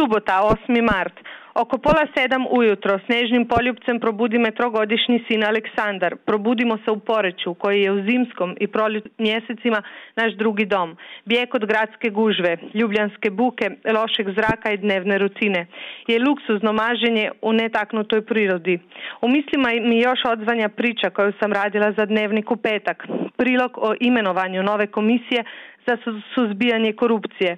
Subota, 8. mart. Oko 6:30 ujutro snježnim poljupcem probudi me 3-godišnji sin Aleksandar. Probudimo se u Poreču, koji je u zimskom i proljetnim mjesecima naš drugi dom. Bijeg od gradske gužve, ljubljanske buke, lošeg zraka i dnevne rutine. Je luksuzno maženje u netaknutoj prirodi. U mislima mi još odzvanja priča koju sam radila za Dnevnik u petak. Prilog o imenovanju nove komisije za suzbijanje korupcije.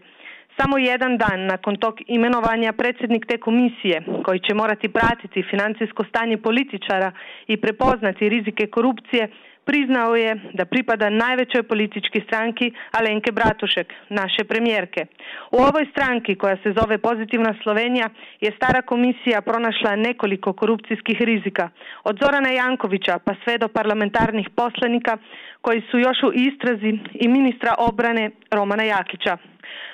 Samo jedan dan nakon tog imenovanja predsjednik te komisije, koji će morati pratiti financijsko stanje političara i prepoznati rizike korupcije, priznao je da pripada najvećoj političkoj stranki Alenke Bratušek, naše premijerke. U ovoj stranki, koja se zove Pozitivna Slovenija, je stara komisija pronašla nekoliko korupcijskih rizika. Od Zorana Jankovića pa sve do parlamentarnih poslanika koji su još u istrazi i ministra obrane Romana Jakića.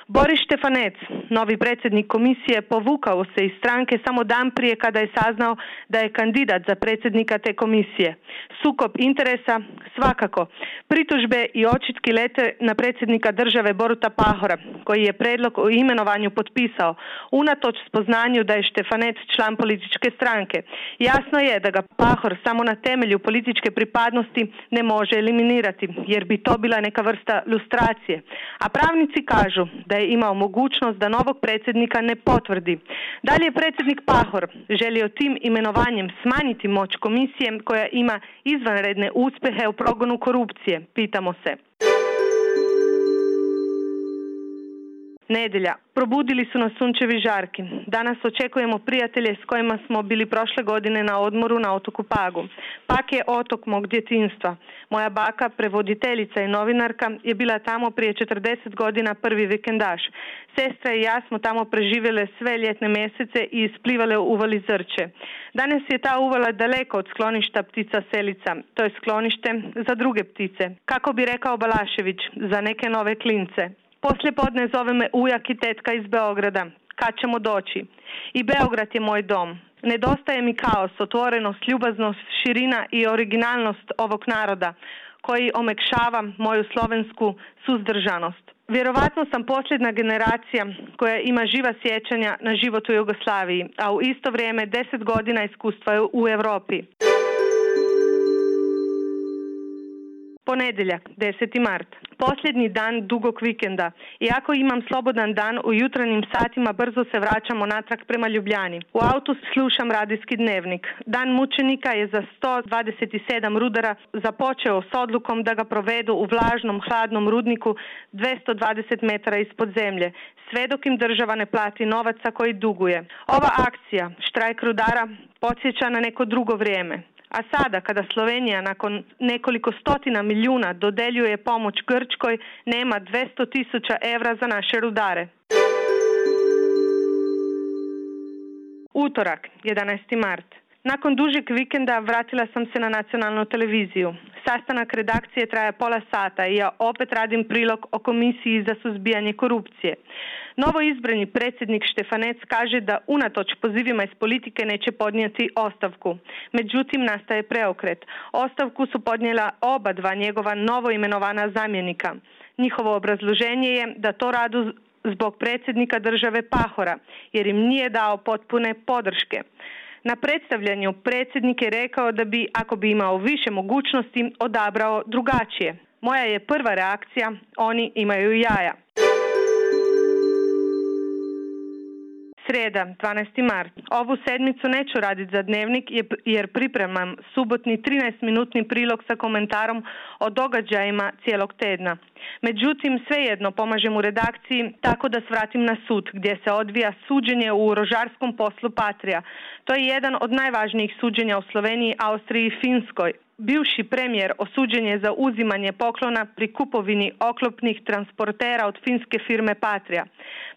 Boris Štefanec, novi predsjednik komisije, povukao se iz stranke samo dan prije kada je saznao da je kandidat za predsjednika te komisije. Sukob interesa svakako. Pritužbe i očitki lete na predsjednika države Boruta Pahora, koji je predlog o imenovanju potpisao, unatoč spoznanju da je Štefanec član političke stranke. Jasno je da ga Pahor samo na temelju političke pripadnosti ne može eliminirati, jer bi to bila neka vrsta lustracije. A pravnici kažu da je imao mogućnost da novog predsjednika ne potvrdi. Dalje je predsjednik Pahor želio tim imenovanjem smanjiti moć komisije koja ima izvanredne uspjehe u progonu korupcije. Pitamo se. Nedjelja. Probudili su nas sunčevi žarki. Danas očekujemo prijatelje s kojima smo bili prošle godine na odmoru na otoku Pagu. Pag je otok mog djetinjstva. Moja baka, prevoditeljica i novinarka, je bila tamo prije 40 godina prvi vikendaš. Sestra i ja smo tamo preživjele sve ljetne mjesece i isplivale u uvali Zrče. Danas je ta uvala daleko od skloništa ptica selica. To je sklonište za druge ptice. Kako bi rekao Balašević, za neke nove klince. Poslije podne zove me ujak i tetka iz Beograda. Kad ćemo doći? I Beograd je moj dom. Nedostaje mi kaos, otvorenost, ljubaznost, širina i originalnost ovog naroda, koji omekšava moju slovensku suzdržanost. Vjerovatno sam posljedna generacija koja ima živa sjećanja na život u Jugoslaviji, a u isto vrijeme 10 godina iskustva u Europi. Ponedjeljak, 10. mart. Posljednji dan dugog vikenda. Iako imam slobodan dan, u jutarnjim satima brzo se vraćamo natrag prema Ljubljani. U autu slušam radijski Dnevnik. Dan mučenika je za 127 rudara započeo s odlukom da ga provedu u vlažnom, hladnom rudniku 220 metara ispod zemlje, sve dok im država ne plati novaca koji duguje. Ova akcija, štrajk rudara, podsjeća na neko drugo vrijeme. A sada, kada Slovenija nakon nekoliko stotina milijuna dodeljuje pomoć Grčkoj, nema 200.000 evra za naše rudare. Utorak, 11. mart. Nakon dužeg vikenda vratila sam se na nacionalnu televiziju. Sastanak redakcije traje pola sata i ja opet radim prilog o komisiji za suzbijanje korupcije. Novo izbrani predsjednik Štefanec kaže da unatoč pozivima iz politike neće podnijeti ostavku. Međutim, nastaje preokret. Ostavku su podnijela oba dva njegova novo imenovana zamjenika. Njihovo obrazloženje je da to radu zbog predsjednika države Pahora, jer im nije dao potpune podrške. Na predstavljanju predsjednik je rekao da bi, ako bi imao više mogućnosti, odabrao drugačije. Moja je prva reakcija, oni imaju jaja. Srijeda, 12. mart. Ovu sedmicu neću raditi za Dnevnik jer pripremam subotni 13-minutni prilog sa komentarom o događajima cijelog tedna. Međutim, svejedno pomažem u redakciji tako da svratim na sud gdje se odvija suđenje u rožarskom poslu Patria. To je jedan od najvažnijih suđenja u Sloveniji, Austriji i Finskoj. Bivši premijer osuđen je za uzimanje poklona pri kupovini oklopnih transportera od finske firme Patria.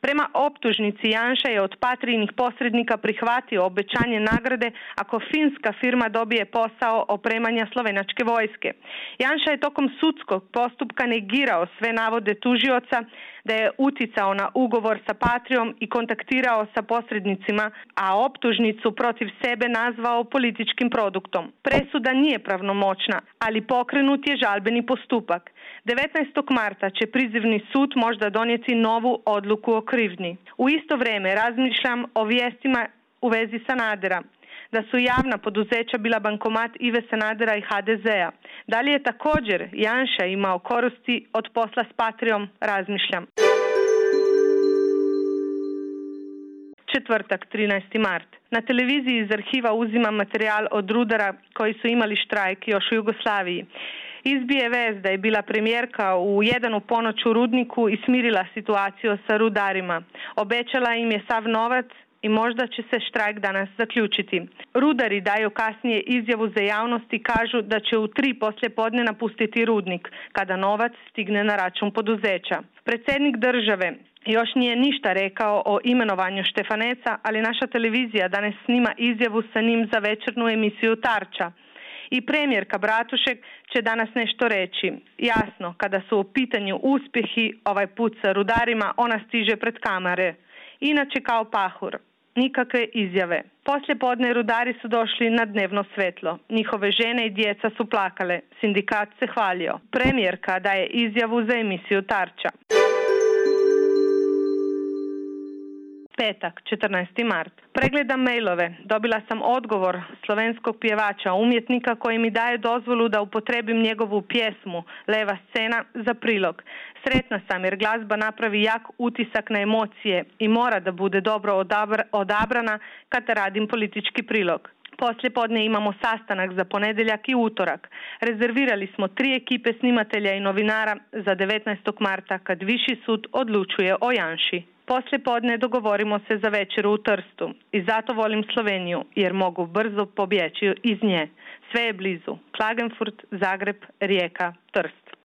Prema optužnici Janša je od Patrijinih posrednika prihvatio obećanje nagrade ako finska firma dobije posao opremanja slovenačke vojske. Janša je tokom sudskog postupka negirao sve navode tužioca da je uticao na ugovor sa Patrijom i kontaktirao sa posrednicima, a optužnicu protiv sebe nazvao političkim produktom. Presuda nije pravnomoćna, ali pokrenut je žalbeni postupak. 19. marta će prizivni sud možda donijeti novu odluku o krivnji. U isto vrijeme razmišljam o vijestima u vezi Sanadera, da su javna poduzeća bila bankomat Ive Sanadera i HDZ-a. Da li je također Janša imao koristi od posla s Patrijom, razmišljam. Četvrtak, 13. mart. Na televiziji iz arhiva uzimam materijal od rudara koji su imali štrajk još u Jugoslaviji. Izbije vez da je bila premijerka u 1 u ponoć u rudniku i smirila situaciju sa rudarima. Obećala im je sav novac i možda će se štrajk danas zaključiti. Rudari daju kasnije izjavu za javnost i kažu da će u 3 poslijepodne napustiti rudnik, kada novac stigne na račun poduzeća. Predsjednik države još nije ništa rekao o imenovanju Štefaneca, ali naša televizija danas snima izjavu sa njim za večernju emisiju Tarča. I premijerka Bratušek će danas nešto reći. Jasno, kada su u pitanju uspjehi, ovaj put sa rudarima, ona stiže pred kamere. Inače kao Pahor. Nikakve izjave. Poslijepodne rudari su došli na dnevno svetlo. Njihove žene i djeca su plakale. Sindikat se hvalio. Premijerka daje izjavu za emisiju Tarča. Petak, 14. mart. Pregledam mailove. Dobila sam odgovor slovenskog pjevača, umjetnika koji mi daje dozvolu da upotrebim njegovu pjesmu Leva scena za prilog. Sretna sam jer glazba napravi jak utisak na emocije i mora da bude dobro odabrana kada radim politički prilog. Poslijepodne imamo sastanak za ponedjeljak i utorak. Rezervirali smo 3 ekipe snimatelja i novinara za 19. marta kad Viši sud odlučuje o Janši. Poslijepodne dogovorimo se za večeru u Trstu i zato volim Sloveniju jer mogu brzo pobjeći iz nje. Sve je blizu. Klagenfurt, Zagreb, Rijeka, Trst.